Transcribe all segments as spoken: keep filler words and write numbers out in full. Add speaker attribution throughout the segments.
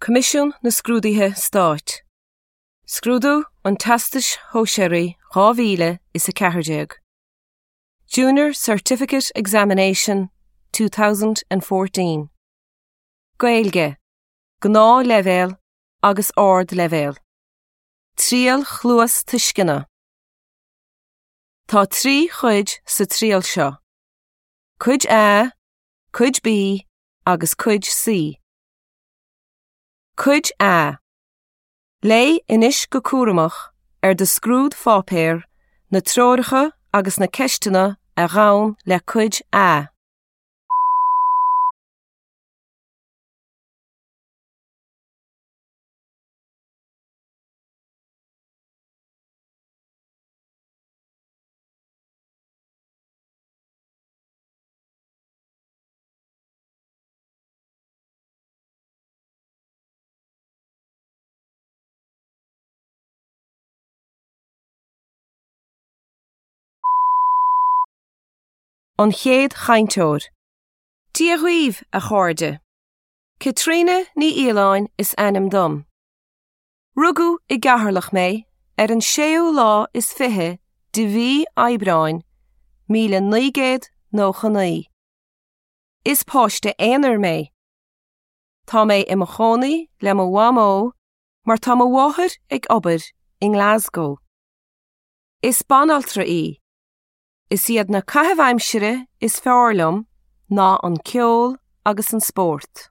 Speaker 1: Coimisiún na Scrúduithe Stáit. Scrúdú an Teastais Shóisearaigh dhá mhíle is a ceathair déag. Junior Certificate Examination two thousand and fourteen. Gaeilge, Gnáthleibhéal agus Ardleibhéal. Triail Chluastuisceana. Tá trí chuid sa triail seo. Cuid A, Cuid B agus Cuid C. Cuid A. Léigh anois go cúramach ar do scrúdpháipéar na treoracha agus na ceisteanna a ghabhann le Cuid A. An chéad chainteoir. Dia dhaoibh, a chairde. Caitríona Ní Fhaoláin is ainm dom. Rugadh i gCeatharlach mé ar an séú lá is fiche de mhí Aibreáin, míle naoi gcéad nócha naoi. Is páiste aonair mé. Tá mé i mo chónaí le mo mhamó mar tá mo mháthair ag obair i nGlasgow. Is banaltra í. Is iad na caithimh aimsire is fearr liom ná an ceol agus an spórt.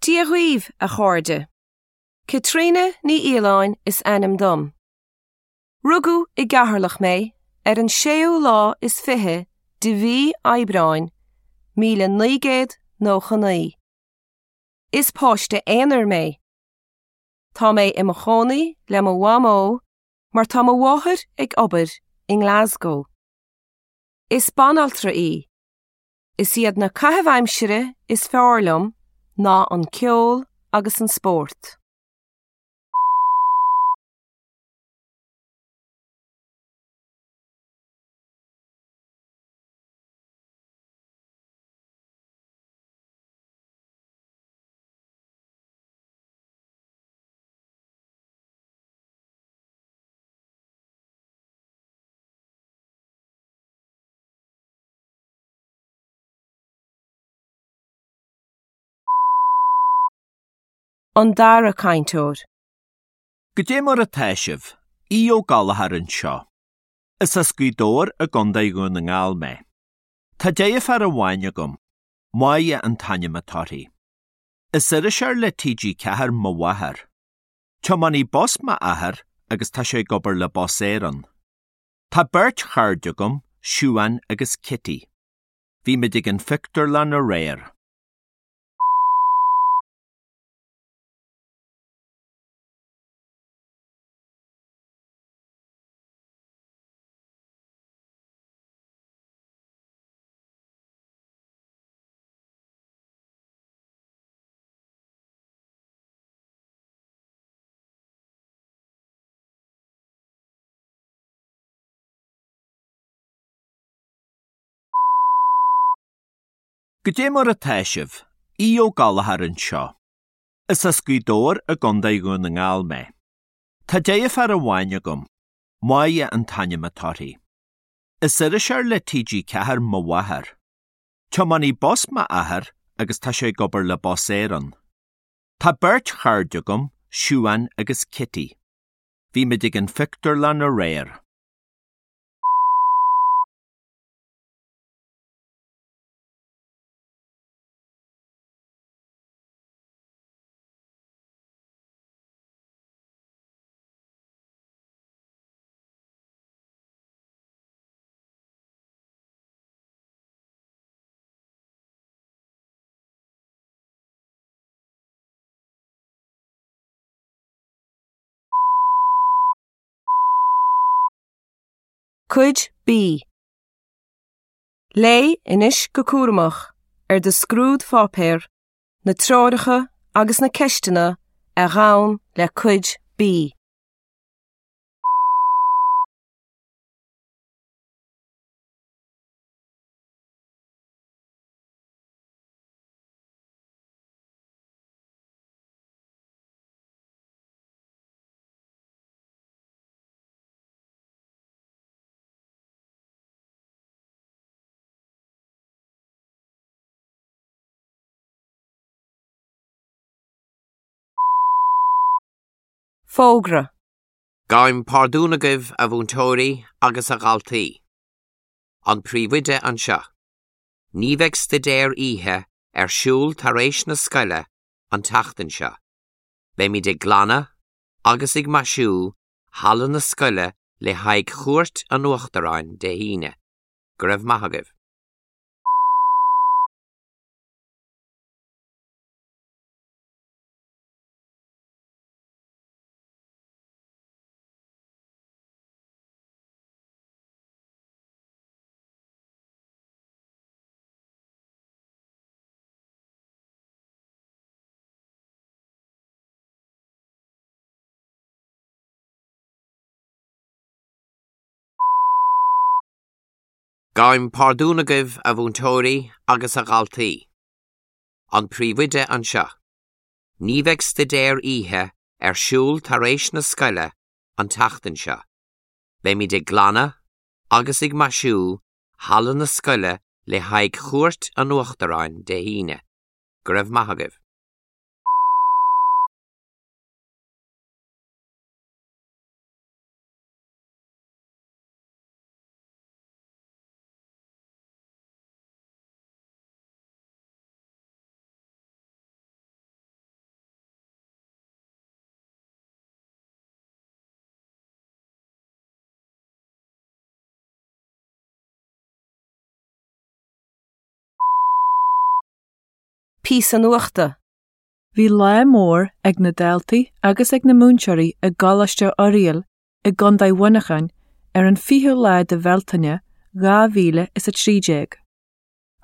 Speaker 1: Dia dhaoibh, a chairde. Caitríona Ní Fhaoláin is ainm dom. Rugadh i gCeatharlach mé ar an séú lá is fiche de mhí Aibreáin, míle naoi gcéad nócha naoi. Is páiste aonair mé. Tá mé i mo chónaí le mo mhamó mar tá mo mháthair ag obair i nGlasgow. Is banaltra í. Is iad na caithimh aimsire is fearr liom ná an ceol agus an spórt. An dara cainteoir.
Speaker 2: Goidé mar atá sibh, Aodh Ó Gallchóir anseo. Is as Gaoth Dobhair i gContae Dhún na nGall mé. Tá deirfiúr amháin agam, Máire an t-ainm atá uirthi. Is iriseoir le T G ceathair mo mháthair. Tiománaí bus m'athair agus tá sé ag obair le Bus Éireann. Tá beirt chairde agam, Siúan agus Kitty. Bhí muid ag an phictiúrlann aréir. Goidé mar atá sibh, Aodh Ó Gallchóir anseo. Is as Gaoth Dobhair i gContae Dhún na nGall mé. Tá deirfiúr amháin agam, Máire an t-ainm atá uirthi. Is iriseoir le T G ceathair mo mháthair. Tiománaí bus m'athair agus tá sé ag obair le Bus Éireann. Tá beirt chairde agam, Siúan agus Kitty. Bhí muid ag an phictiúrlann aréir.
Speaker 1: Cuid B. Léigh anois go cúramach ar do scrúdpháipéar na treoracha agus na ceisteanna a ghabhann le Cuid B. Fógra.
Speaker 3: Gabhaim pardún agaibh a mhúinteoirí agus a dhaltaí. An príomhoide anseo. Ní bheidh staidéar oíche ar siúl tar éis na scoile an tseachtain seo. Beimid ag glanadh agus ag maisiú halla na scoile le haghaidh chuairt an Uachtaráin Dé hAoine. Go raibh maith agaibh. Gabhaim pardún agaibh a mhúinteoirí agus a dhaltaí. An príomhoide anseo. Ní bheidh staidéar oíche ar siúl tar éis na scoile an tseachtain seo. Beimid ag glanadh agus ag maisiú halla na scoile le haghaidh chuairt an Uachtaráin Dé hAoine. Go raibh maith agaibh.
Speaker 1: Píosa nuachta.
Speaker 4: Bhí lá mór ag na daltaí agus ag na múinteoirí i gColáiste Oiriall i gContae Mhuineacháin ar an fichiú lá de Bhealtaine dhá mhíle is a trí déag.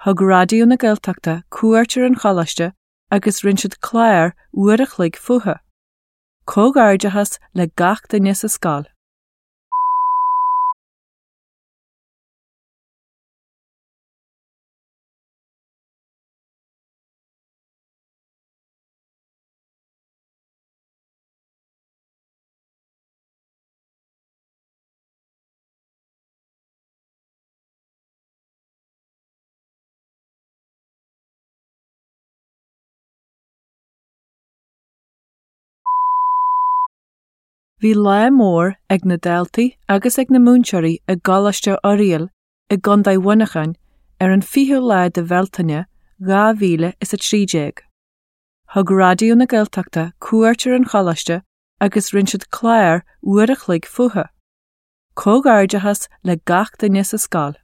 Speaker 4: Thug Raidió na Gaeltachta cuairt ar an choláiste agus rinne siad clár uair a chloig fúthu. Comhghairdeachas le gach duine sa scoil. Bhí lá mór ag na daltaí agus ag na múinteoirí i gColáiste Oiriall i gContae Mhuineacháin ar an fichiú lá de Bhealtaine dhá mhíle is a trí déag. Thug Raidió na Gaeltachta cuairt ar an choláiste agus rinne siad clár uair a chloig fúthu. Comhghairdeachas le gach duine sa scoil.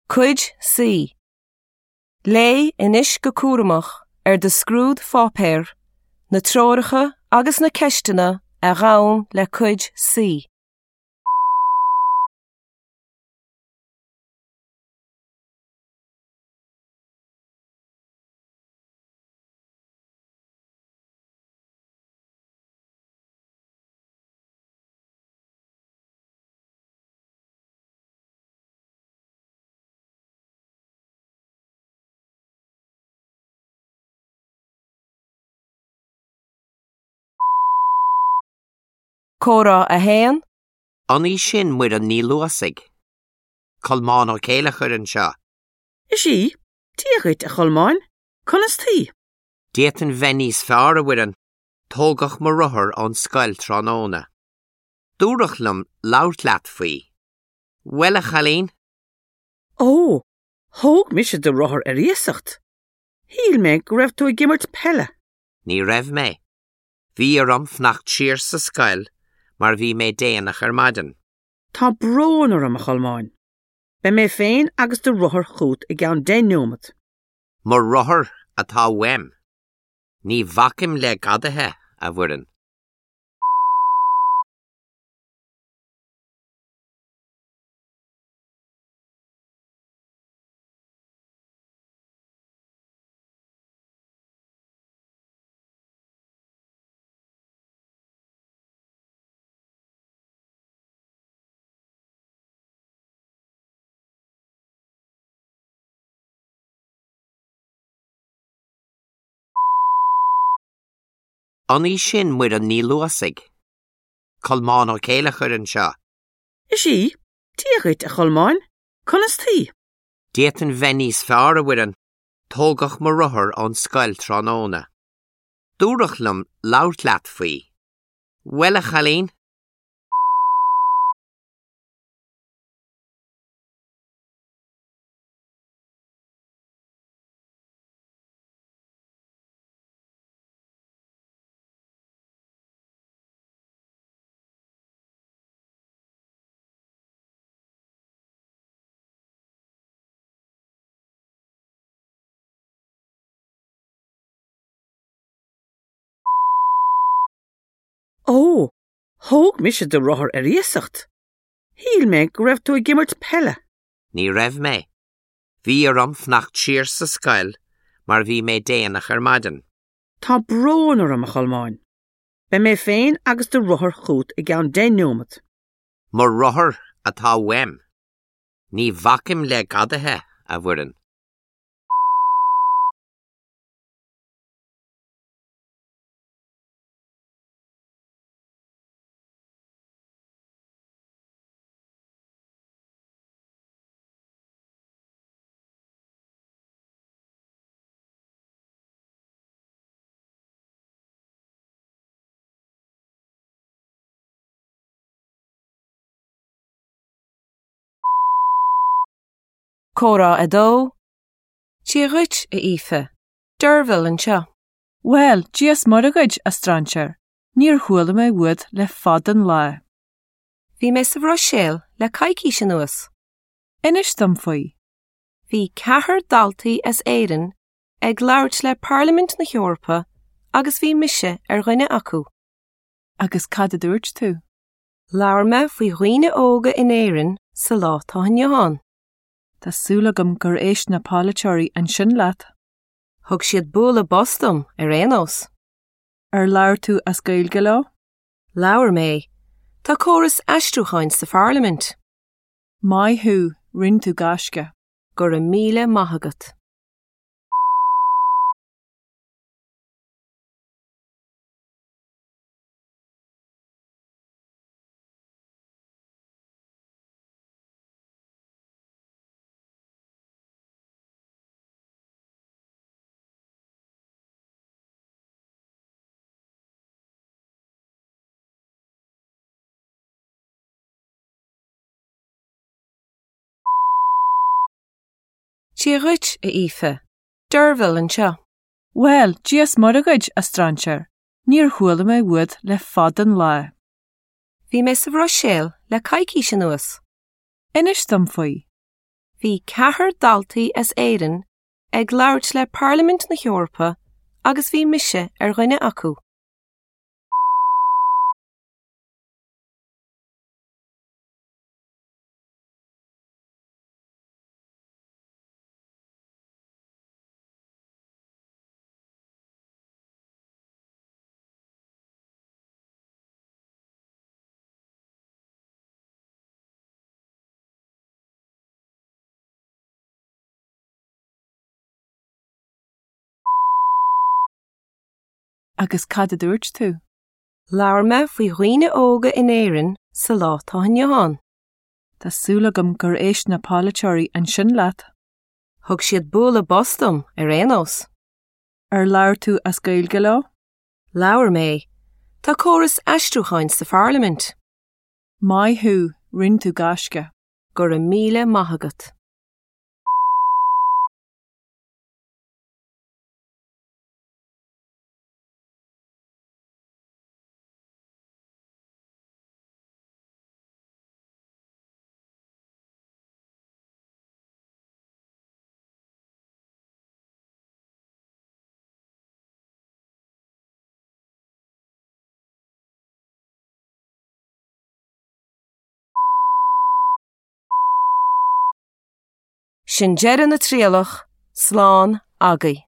Speaker 1: Cuid C. Léigh anois go cúramach ar do scrúdpháipéar, na treoracha agus na ceisteanna a ghabhann le Cuid C. Comhrá a haon.
Speaker 3: An í sin Muireann Ní Luasaigh. Colmán Ó Céilleachair anseo.
Speaker 5: Is í, Dia dhuit a Cholmáin, conas taoi?
Speaker 3: D'fhéadfainn bheith níos fearr a Mhuireann, tógadh mo rothar ón scoil tráthnóna. Dúradh liom labhairt leat faoi. Bhuel a chailín?
Speaker 5: Ó, thóg mise do rothar ar iasacht. Shíl mé go raibh tú ag imirt peile.
Speaker 3: Ní raibh mé. Bhí orm fanacht siar sa scoil mar bhí mé déanach ar maidin.
Speaker 5: Tá brón orm a Cholmáin. Beidh mé féin agus do rothar chugat i gceann deich nóiméad.
Speaker 3: Mo rothar atá uaim. Ní bhacaim le gadaithe a Mhuireann. An í sin Muireann Ní Luasaigh. Colmán Ó Céilleachair anseo.
Speaker 5: Is í, Dia dhuit a Cholmáin, conas taoi?
Speaker 3: D'fhéadfainn bheith níos fearr a Mhuireann, tógadh mo rothar ón scoil tráthnóna. Dúradh liom labhairt leat faoi. Bhuel a chailín?
Speaker 5: Ó, thóg mise do rothar ar iasacht. Shíl mé go raibh tú ag imirt peile.
Speaker 3: Ní raibh mé. Bhí orm fanacht siar sa scoil mar bhí mé déanach ar maidin.
Speaker 5: Tá brón orm a Cholmáin. Beidh mé féin agus do rothar chugat i gceann deich nóiméad.
Speaker 3: Mo rothar atá uaim. Ní bhacaim le gadaithe a Mhuireann.
Speaker 1: Comhrá a dó, Dia dhuit a Aoife, Derville anseo.
Speaker 4: Bhuel, Dia is Muire dhuit a strainséir, níor chuala mé uait le fada an lá.
Speaker 1: Bhí mé sa Bhruiséil le coicís anuas.
Speaker 4: Inis dom faoi.
Speaker 1: Bhí ceathrar daltaí as Éirinn ag labhairt le Parlaimint na hEorpa agus bhí mise ar dhuine acu.
Speaker 4: Agus cad a dúirt tú?
Speaker 1: Labhair mé faoi dhaoine óga in Éirinn sa lá atá inniu ann.
Speaker 4: Tá súil agam gur éist na polaiteoirí ansin leat.
Speaker 1: Thug siad bualadh bos dom ar aon nós.
Speaker 4: Ar labhair tú as Gaeilge leo?
Speaker 1: Labhair mé. Tá córas aistriúcháin sa Pharlaimint.
Speaker 4: Maith thú, rinne tú gaisce.
Speaker 1: Go raibh míle maith agat. Dia dhuit a Aoife, Derville anseo.
Speaker 4: Bhuel, Dia is Muire dhuit a strainséir, níor chuala mé uait le fada an lá.
Speaker 1: Bhí mé sa Bhruiséil le coicís anuas.
Speaker 4: Inis dom faoi.
Speaker 1: Bhí ceathrar daltaí as Éirinn ag labhairt le Parlaimint na hEorpa agus bhí mise ar dhuine acu.
Speaker 4: Agus cad a dúirt tú?
Speaker 1: Labhair mé faoi dhaoine óga in Éirinn sa lá atá inniu ann.
Speaker 4: Tá súil agam gur éist na polaiteoirí ansin leat.
Speaker 1: Thug siad bualadh bos dom ar aon nós.
Speaker 4: Ar labhair tú as Gaeilge leo?
Speaker 1: Labhair mé. Tá córas aistriúcháin sa Pharlaimint.
Speaker 4: Maith thú, rinne tú gaisce.
Speaker 1: Go raibh míle maith agat. Sin deireadh na trialach, slán agaibh.